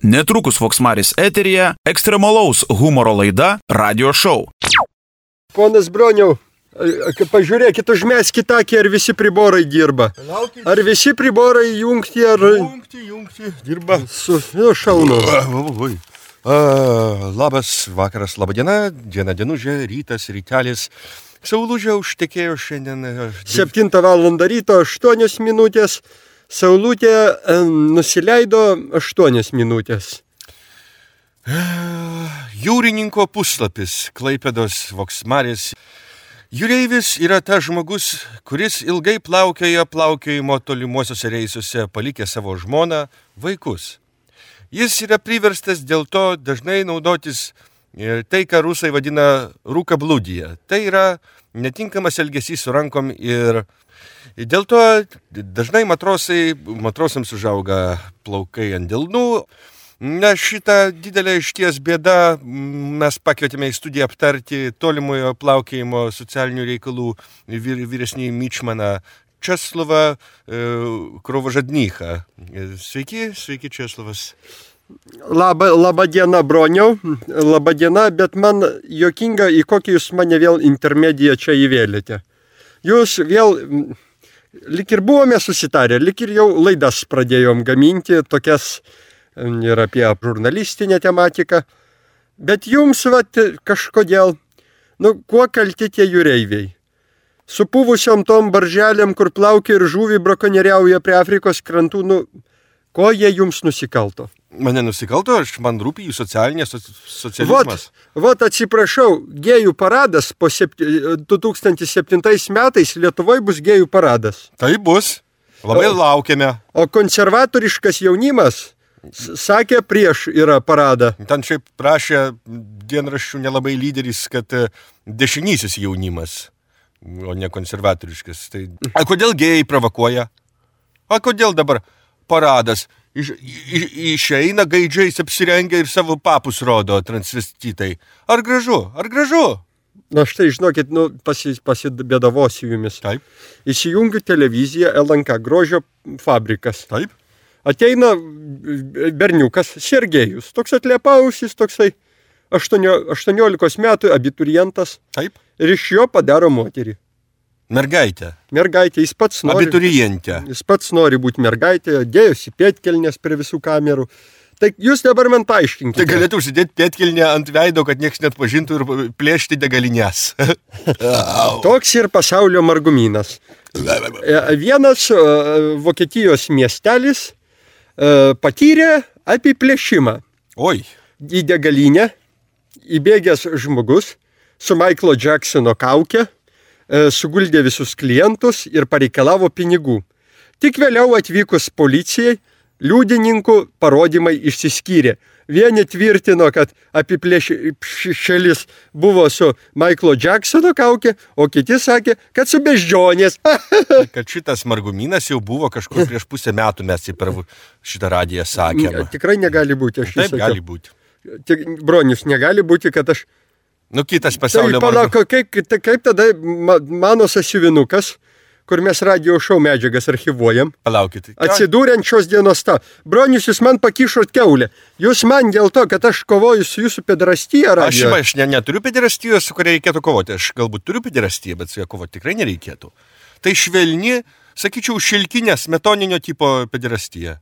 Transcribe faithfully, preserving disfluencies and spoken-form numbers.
Netrukus Voksmaris eteryje ekstremalaus humoro laida Radio Show. Ponas Broniau, pažiūrėkit, užmeskit akį, ar visi priborai dirba. Ar visi priborai jungti, ar... Jungti, jungti, dirba. Su, nu, šaunu. Uh, labas vakaras, laba diena, diena dienužė, rytas, rytelis. Saulužė užtekėjo šiandien. septintą valandą ryto, aštuonios minutės. Saulutė e, nusileido aštuonios minutės. Uh, jūrininko puslapis, Klaipėdos Voksmaris. Jūreivis yra tas žmogus, kuris ilgai plaukioja plaukiojimo tolimuosiuose reisuose, palikė savo žmoną, vaikus. Jis yra priverstas dėl to dažnai naudotis tai, ką rusai vadina rūkablūdija. Tai yra netinkamas elgesys su rankom ir dėl to dažnai matrosai, matrosams užauga plaukai ant delnų. Na, šitą didelę išties bėdą mes pakvietėme į studiją aptarti tolimojo plaukiojimo socialinių reikalų vyr, vyresnį Mičmaną Česlovą e, Krovožadnychą. Sveiki, sveiki Česlovas. Labą, labą dieną, Broniau. Labą dieną, bet man juokinga, į kokį jūs mane vėl intermediją čia įvėlėte. Jūs vėl, lik ir buvome susitarę, lik ir jau laidas pradėjom gaminti, tokias ir apie žurnalistinę tematiką. Bet jums, vat, kažkodėl, nu, kuo kalti tie jūreiviai? Supuvusiom tom barželėm, kur plaukia ir žuvį brakonieriauja prie Afrikos krantų, nu, ko jie jums nusikalto? Mane nusikalto, aš man rūpi jų socialinė socializmas. Vot, vot atsiprašau, gėjų paradas po septy, du tūkstančiai septintais metais Lietuvoje bus gėjų paradas. Tai bus, labai laukiame. O konservatoriškas jaunimas sakė prieš yra paradą. Ten šiaip prašė dienraščių nelabai lyderis, kad dešinysis jaunimas, o ne konservatoriškas. Tai... A kodėl gėjai provokuoja? A kodėl dabar paradas? Iš, iš, išeina gaidžiais apsirengia ir savo papus rodo transvestitai. Ar gražu? Ar gražu? Na štai, žinokit, nu, pasi, pasidėdavosiu jumis. Taip. Įsijungiu televiziją L N K, grožio fabrikas. Taip. Ateina berniukas, Sergejus, toks atliepausis, toksai aštuoniolikos metų abiturientas. Taip. Ir iš jo padaro moterį. Mergaitė. Mergaitė, jis pats nori. Abiturientė. Jis pats nori būti mergaitė, dėjosi pėtkelnės prie visų kamerų. Tai jūs dabar man paaiškinkite. Tai galėtų užsidėti pėtkelnę ant veido, kad niekas net pažintų ir plėšti degalinės. Toks ir pasaulio margumynas. Vienas Vokietijos miestelis patyrė apiplėšimą. Oi. Į degalinę įbėgęs žmogus su Michaelo Jacksono kauke suguldė visus klientus ir pareikalavo pinigų. Tik vėliau atvykus policijai, liudininkų parodymai išsiskyrė. Vieni tvirtino, kad apiplėšėlis buvo su Michaelo Jacksono kaukė, o kiti sakė, kad su beždžionės. Kad šitas margumynas jau buvo kažkur prieš pusę metų, mes jį per šitą radiją sakėme. Tikrai negali būti, aš Taip, gali būti. Tik, Bronius, negali būti, kad aš... Nu, kitas pasaulio tai, palauk, kaip, kaip tada mano sąsiuvinukas, kur mes radio šou medžiagas archivuojam, Palaukit. atsidūrė ant šios dienos tą. Bronius, jūs man pakišot keulę. Jūs man dėl to, kad aš kovoju su jūsų pederastyje radio. Aš, aš ne, neturiu pederastijos, su kuria reikėtų kovoti. Aš galbūt turiu pederastiją, bet su ją kovoti tikrai nereikėtų. Tai švelni, sakyčiau, šilkinė smetoninio tipo pederastija.